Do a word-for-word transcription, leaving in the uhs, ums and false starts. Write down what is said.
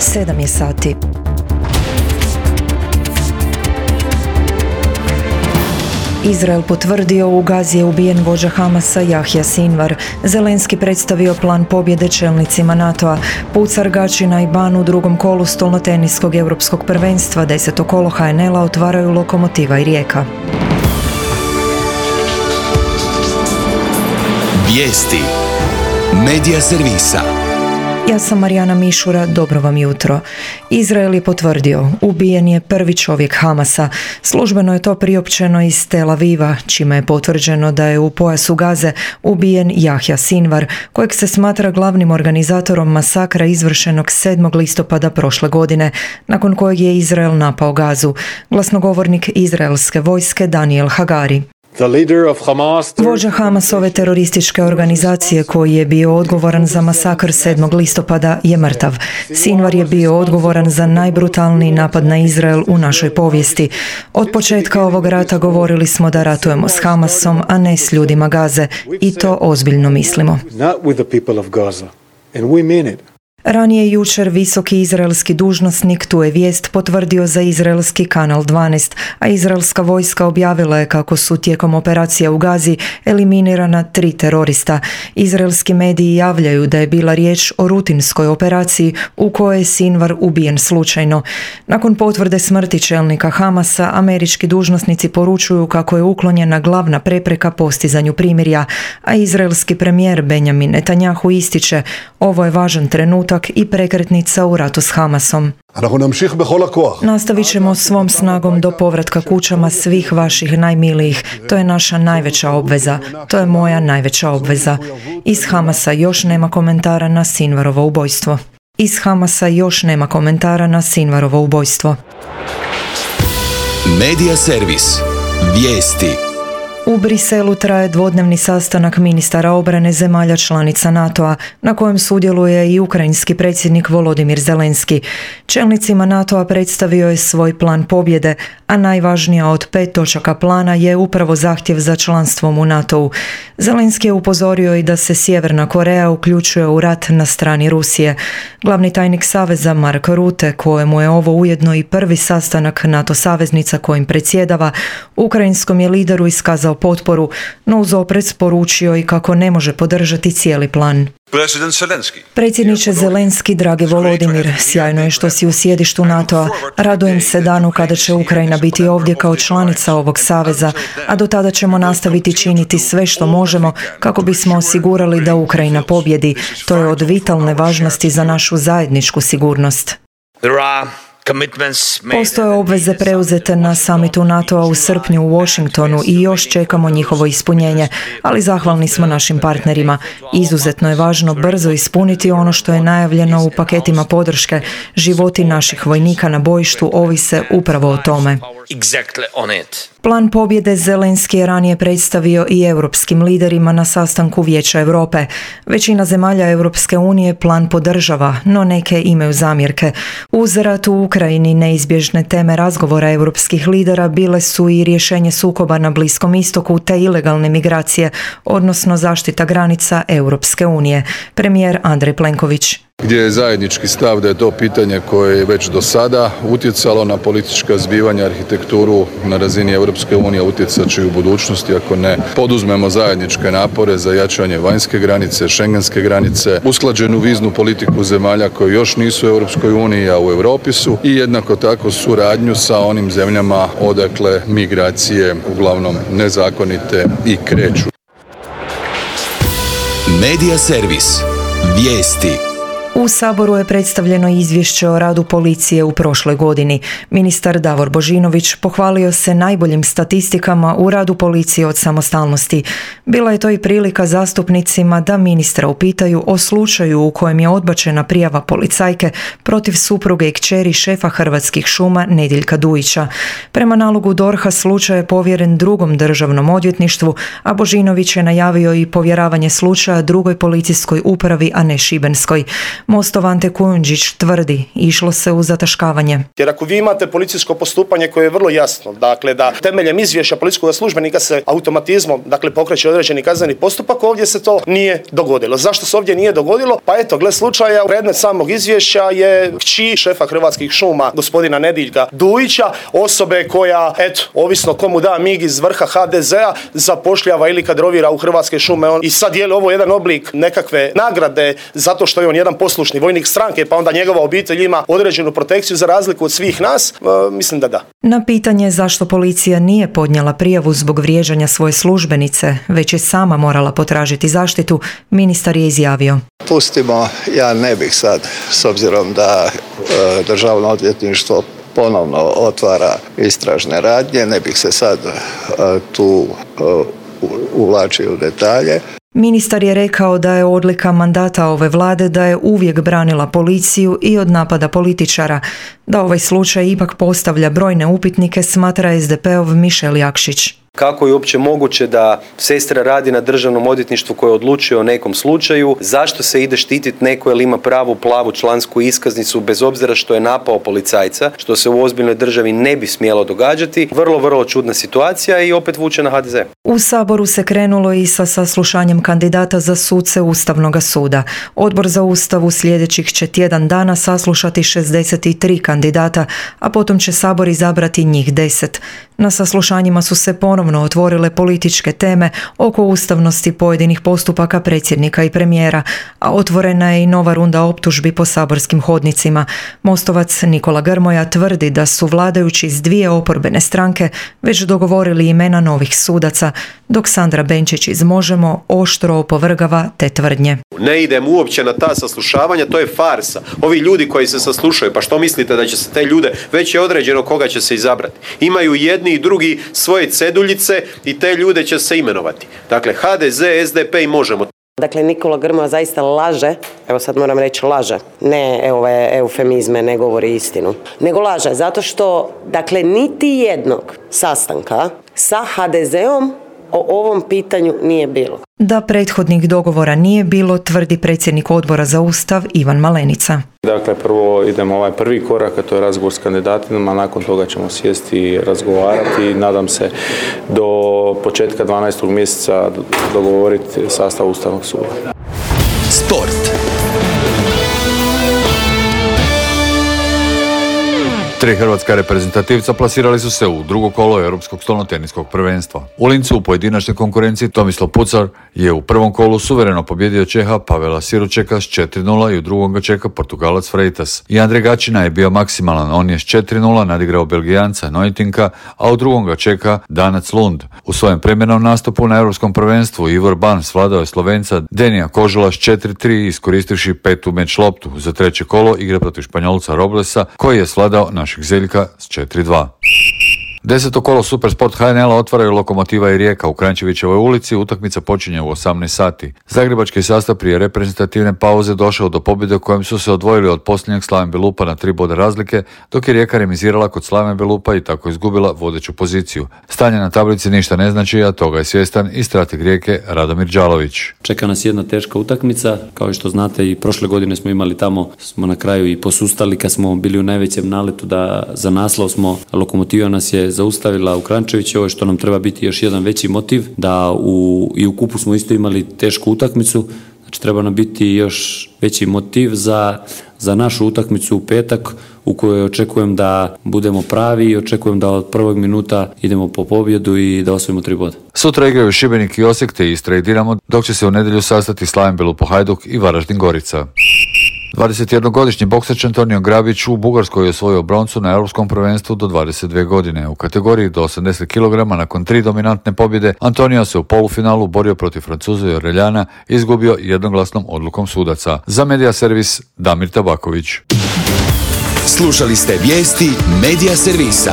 Sedam je sati. Izrael potvrdio, u Gazi je ubijen vođa Hamasa Jahja Sinvar. Zelenski predstavio plan pobjede čelnicima NATO-a. Pucar Gačina i Ban u drugom kolu stolnoteniskog europskog prvenstva, deseto kolo H N L-a otvaraju Lokomotiva i Rijeka. Vijesti Medija servisa. Ja sam Marijana Mišura, dobro vam jutro. Izrael je potvrdio, ubijen je prvi čovjek Hamasa. Službeno je to priopćeno iz Tel Aviva, čime je potvrđeno da je u pojasu Gaze ubijen Jahja Sinvar, kojeg se smatra glavnim organizatorom masakra izvršenog sedmog listopada prošle godine, nakon kojeg je Izrael napao Gazu. Glasnogovornik izraelske vojske Daniel Hagari. Vođa Hamasove terorističke organizacije koji je bio odgovoran za masakr sedmog listopada je mrtav. Sinvar je bio odgovoran za najbrutalniji napad na Izrael u našoj povijesti. Od početka ovog rata govorili smo da ratujemo s Hamasom, a ne s ljudima Gaze, i to ozbiljno mislimo. Ranije jučer visoki izraelski dužnosnik tu je vijest potvrdio za izraelski kanal dvanaest, a izraelska vojska objavila je kako su tijekom operacija u Gazi eliminirana tri terorista. Izraelski mediji javljaju da je bila riječ o rutinskoj operaciji u kojoj je Sinvar ubijen slučajno. Nakon potvrde smrti čelnika Hamasa, američki dužnosnici poručuju kako je uklonjena glavna prepreka postizanju primirja, a izraelski premijer Benjamin Netanjahu ističe: ovo je važan trenutak i prekretnica u ratu s Hamasom. Nastavit ćemo svom snagom do povratka kućama svih vaših najmilijih. To je naša najveća obveza. To je moja najveća obveza. Iz Hamasa još nema komentara na Sinvarovo ubojstvo. Iz Hamasa još nema komentara na Sinvarovo ubojstvo. Medija servis. Vijesti. U Briselu traje dvodnevni sastanak ministara obrane zemalja članica NATO-a, na kojem sudjeluje i ukrajinski predsjednik Volodimir Zelenski. Čelnicima NATO-a predstavio je svoj plan pobjede, a najvažnija od pet točaka plana je upravo zahtjev za članstvom u NATO-u. Zelenski je upozorio i da se Sjeverna Koreja uključuje u rat na strani Rusije. Glavni tajnik Saveza Mark Rutte, kojemu je ovo ujedno i prvi sastanak NATO saveznica kojim predsjedava, ukrajinskom je lideru iskazao potporu, no uz oprez poručio i kako ne može podržati cijeli plan. Predsjedniče Zelenski, dragi Volodimir, sjajno je što si u sjedištu NATO-a. Radujem se danu kada će Ukrajina biti ovdje kao članica ovog saveza, a do tada ćemo nastaviti činiti sve što možemo kako bismo osigurali da Ukrajina pobjedi. To je od vitalne važnosti za našu zajedničku sigurnost. Postoje obveze preuzete na samitu NATO-a u srpnju u Washingtonu i još čekamo njihovo ispunjenje, ali zahvalni smo našim partnerima. Izuzetno je važno brzo ispuniti ono što je najavljeno u paketima podrške. Životi naših vojnika na bojištu ovise upravo o tome. Plan pobjede Zelenski je ranije predstavio i europskim liderima na sastanku Vijeća Europe. Većina zemalja Europske unije plan podržava, no neke imaju zamjerke. Uz rat u Ukrajini neizbježne teme razgovora europskih lidera bile su i rješenje sukoba na Bliskom istoku te ilegalne migracije, odnosno zaštita granica Europske unije. Premijer Andrej Plenković. Gdje je zajednički stav da je to pitanje koje je već do sada utjecalo na politička zbivanja, arhitekturu na razini Europske unije, utjecat će i u budućnosti ako ne poduzmemo zajedničke napore za jačanje vanjske granice, šengenske granice, usklađenu viznu politiku zemalja koji još nisu u Europskoj uniji, a u Europi su, i jednako tako suradnju sa onim zemljama odakle migracije uglavnom nezakonite i kreću. Medija servis. Vijesti. U Saboru je predstavljeno izvješće o radu policije u prošloj godini. Ministar Davor Božinović pohvalio se najboljim statistikama u radu policije od samostalnosti. Bila je to i prilika zastupnicima da ministra upitaju o slučaju u kojem je odbačena prijava policajke protiv supruge i kćeri šefa Hrvatskih šuma Nediljka Dujića. Prema nalogu D O R H-a slučaj je povjeren drugom državnom odvjetništvu, a Božinović je najavio i povjeravanje slučaja drugoj policijskoj upravi, a ne šibenskoj. Mostov Ante Kujundžić tvrdi išlo se u zataškavanje. Jer ako vi imate policijsko postupanje koje je vrlo jasno, dakle da temeljem izvješća policijskog službenika se automatizmom dakle pokreće određeni kazneni postupak, ovdje se to nije dogodilo. Zašto se ovdje nije dogodilo? Pa eto, gle slučaja, predmet samog izvješća je kći šefa Hrvatskih šuma, gospodina Nediljka Dujića, osobe koja, eto, ovisno komu da mig iz vrha ha de zea, zapošljava ili kadrovira u Hrvatske šume. On, i sad je li ovo jedan oblik nekakve nagrade zato što je on jedan poslušni vojnik stranke, pa onda njegova obitelj ima određenu protekciju za razliku od svih nas? E, mislim da da. Na pitanje zašto policija nije podnijela prijavu zbog vrijeđanja svoje službenice, već je sama morala potražiti zaštitu, ministar je izjavio. Pustimo, ja ne bih sad, s obzirom da e, Državno odvjetništvo ponovno otvara istražne radnje, ne bih se sad e, tu e, uvlačio u detalje. Ministar je rekao da je odlika mandata ove vlade da je uvijek branila policiju i od napada političara. Da ovaj slučaj ipak postavlja brojne upitnike, smatra es de peov Mišel Jakšić. Kako je uopće moguće da sestra radi na državnom odvjetništvu koje odlučuje o nekom slučaju? Zašto se ide štititi neko jer ima pravu plavu člansku iskaznicu bez obzira što je napao policajca, što se u ozbiljnoj državi ne bi smjelo događati? Vrlo, vrlo čudna situacija i opet vuče na ha de ze. U Saboru se krenulo i sa saslušanjem kandidata za suce Ustavnog suda. Odbor za Ustav u sljedećih će tjedan dana saslušati šezdeset tri kandidata, a potom će Sabor izabrati njih deset. Na saslušanjima su se ponovno otvorile političke teme oko ustavnosti pojedinih postupaka predsjednika i premijera, a otvorena je i nova runda optužbi po saborskim hodnicima. Mostovac Nikola Grmoja tvrdi da su vladajući iz dvije oporbene stranke već dogovorili imena novih sudaca, dok Sandra Benčić iz Možemo oštro opovrgava te tvrdnje. Ne idem uopće na ta saslušavanja, to je farsa. Ovi ljudi koji se saslušaju, pa što mislite da će se te ljude, već je određeno koga će se izabrati. Imaju jedni i drugi svoje ceduljice i te ljude će se imenovati. Dakle, ha de ze, es de pe i Možemo. Dakle, Nikola Grmoja zaista laže, evo sad moram reći laže, ne ove eufemizme, ne govori istinu, nego laže zato što, dakle, niti jednog sastanka sa ha de zeom o ovom pitanju nije bilo. Da prethodnih dogovora nije bilo, tvrdi predsjednik Odbora za Ustav Ivan Malenica. Dakle, prvo idemo ovaj prvi korak, a to je razgovor s kandidatima, nakon toga ćemo sjesti i razgovarati i nadam se do početka dvanaestog mjeseca dogovoriti sastav Ustavnog suda. Sport. Tri hrvatska reprezentativca plasirali su se u drugo kolo Europskog stolnoteniskog prvenstva. U Lincu u pojedinačnoj konkurenciji Tomislav Pucar je u prvom kolu suvereno pobjedio Čeha Pavela Siručeka s četiri nula i u drugom ga čeka Portugalac Freitas. I Andrej Gačina je bio maksimalan, on je s četiri nula nadigrao Belgijanca Neutinka, a u drugom ga čeka Danac Lund. U svojem premjernom nastupu na Europskom prvenstvu Ivor Ban svladao je Slovenca Denija Kožula s četiri tri iskoristivši petu meč loptu. Za treće kolo igra protiv Španjolca Roblesa koji je svladao naš Zeljka s četiri dva. Deseto kolo Supersport ha en el-a otvaraju Lokomotiva i Rijeka u Kranjčevićevoj ulici, utakmica počinje u osamnaest sati. Zagrebački sastav prije reprezentativne pauze došao do pobjede u kojem su se odvojili od posljednjeg Slaven Belupa na tri boda razlike, dok je Rijeka remizirala kod Slaven Belupa i tako izgubila vodeću poziciju. Stanje na tablici ništa ne znači, a toga je svjestan i strateg Rijeke Radomir Đalović. Čeka nas jedna teška utakmica, kao što znate i prošle godine smo imali tamo, smo na kraju i posustali kad smo bili u najvećem naletu da za naslov smo, Lokomotiva nas je zaustavila u Kranjčevićevoj, što nam treba biti još jedan veći motiv, da u, i u kupu smo isto imali tešku utakmicu, znači treba nam biti još veći motiv za, za našu utakmicu u petak, u kojoj očekujem da budemo pravi i očekujem da od prvog minuta idemo po pobjedu i da osvojimo tri boda. Sutra igraju Šibenik i Osijek te Istra i Dinamo, dok će se u nedjelju sastati Slaven Belupo Hajduk i Varaždin Gorica. dvadesetjednogodišnji boksač Antonio Grabić u Bugarskoj je osvojio broncu na Europskom prvenstvu do dvadeset dvije godine. U kategoriji do osamdeset kilograma nakon tri dominantne pobjede Antonio se u polufinalu borio protiv Francuza i Oreljana i izgubio jednoglasnom odlukom sudaca. Za Medija Servis Damir Tabaković. Slušali ste vijesti Medija Servisa.